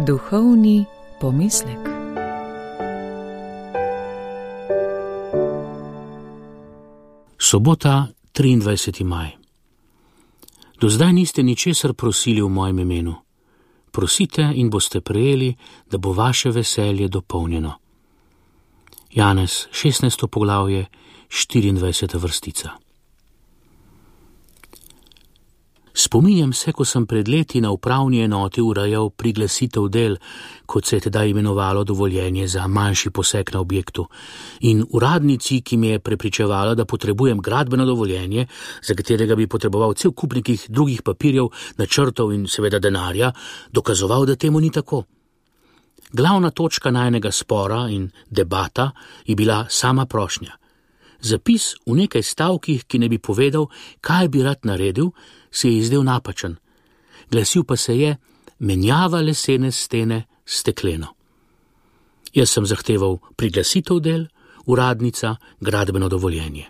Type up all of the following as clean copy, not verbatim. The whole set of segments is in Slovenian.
Duhovni pomislek. Sobota, 23. maj. Do zdaj niste ničesar prosili v mojem imenu. Prosite in boste prejeli, da bo vaše veselje dopolnjeno. Janez, 16. poglavje, 24. vrstica. Spominjam se, ko sem pred leti na upravni enoti urejal priglasitev del, kot se je tedaj imenovalo dovoljenje za manjši poseg na objektu, in uradnici, ki mi je prepričevala, da potrebujem gradbeno dovoljenje, za katerega bi potreboval cel kup nekih drugih papirjev, načrtov in seveda denarja, dokazoval, da temu ni tako. Glavna točka najinega spora in debata je bila sama prošnja. Zapis v nekaj stavkih, ki ne bi povedal, kaj bi rad naredil, se je izdel napačen. Glasil pa se je: menjava lesene stene s stekleno. Jaz sem zahteval priglasitev del, uradnica gradbeno dovoljenje.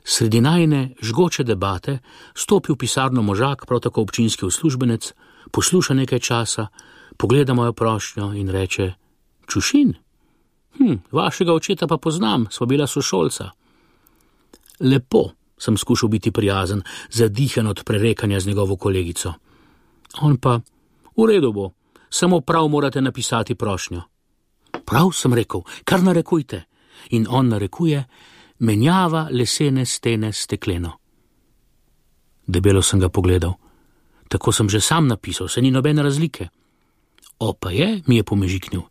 Sredi najine žgoče debate stopi v pisarno možak, prav tako občinski uslužbenec, posluša nekaj časa, pogleda mojo prošnjo in reče: Čušin? Vašega očeta pa poznam, sva bila sošolca. Lepo, sem skušal biti prijazen, zadihan od prerekanja z njegovo kolegico. On pa: v redu bo, samo prav morate napisati prošnjo. Prav, sem rekel, kar narekujte. In on narekuje: menjava lesene stene s stekleno. Debelo sem ga pogledal. Tako sem že sam napisal, se ni nobene razlike. Pa je, mi je pomežiknil.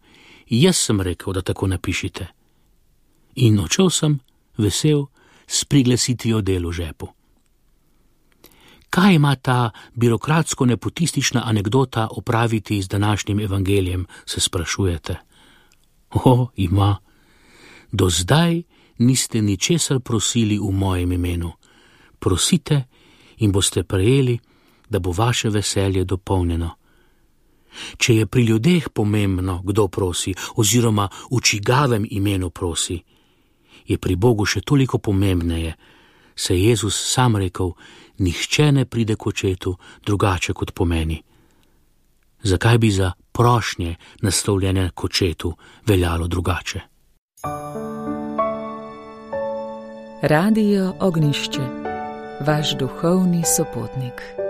Jaz sem rekel, da tako napišite. In odšel sem, vesel, s priglasitvijo del v žepu. Kaj ima ta birokratsko-nepotistična anekdota opraviti z današnjim evangelijem, se sprašujete? Ima. Do zdaj niste ničesar prosili v mojem imenu. Prosite in boste prejeli, da bo vaše veselje dopolnjeno. Če je pri ljudeh pomembno, kdo prosi, oziroma v čigavem imenu prosi, je pri Bogu še toliko pomembneje, saj je Jezus sam rekel: nihče ne pride k očetu drugače kot po meni. Zakaj bi za prošnje naslovljene k očetu veljalo drugače? Radio Ognjišče, vaš duhovni sopotnik.